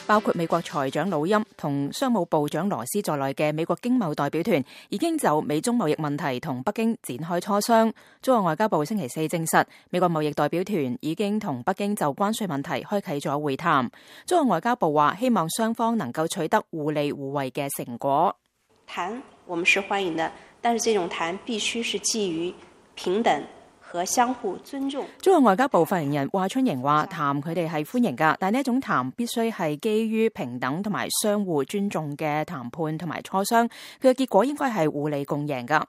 包括美國財長魯欽同商務部長羅斯在內嘅美國經貿代表團已經就美中貿易問題同北京展開磋商。中國外交部星期四證實，美國貿易代表團已經同北京就關稅問題開啟咗會談。中國外交部話，希望雙方能夠取得互利互惠嘅成果。談我們是歡迎的，但是這種談必須是基於平等和相互尊重。中國外交部發言人華春瑩話，談佢哋係歡迎㗎，但呢一種談必須係基於平等同埋相互尊重嘅談判同埋磋商，佢嘅結果應該係互利共贏㗎。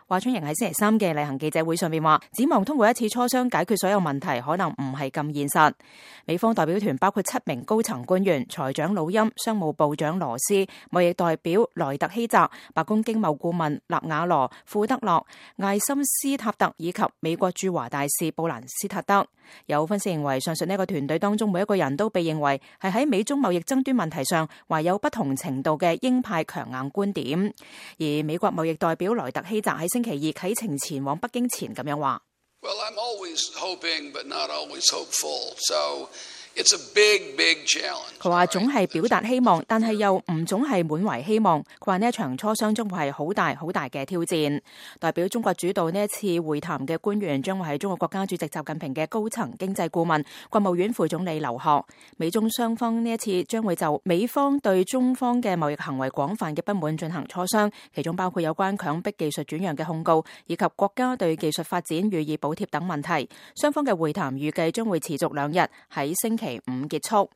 華春瑩喺星期三嘅例行記者會上面話，指望通過一次磋商解決所有問題可能唔係咁現實。美方代表團包括7名高層官員，財長魯欽、商務部長羅斯、貿易代表萊特希澤、白宮經貿顧問納瓦羅、庫德洛、艾森斯塔特以及美國駐華大使布蘭斯塔德。有分析認為，上述呢個團隊當中每一個人都被認為係喺美中貿易爭端問題上懷有不同程度嘅鷹派強硬觀點。而美國貿易代表萊特希澤喺星期二啟程前往北京前咁樣話：Well, I'm always hoping, but not always hopeful. So it's a big, big challenge. 佢話總係表達希望，但係又唔總係滿懷希望。佢話呢一場磋商將會係好大好大嘅挑戰。代表中國主導呢一次會談嘅官員將會係中國國家主席習近平嘅高層經濟顧問、國務院副總理劉鶴。美中雙方呢一次將會就美方對中方嘅貿易行為廣泛嘅不滿進行磋商，其中包括有關強迫技術轉讓嘅控告，以及國家對技術發展予以補貼等問題。雙方嘅會談預計將會持續2日，喺星期5結束。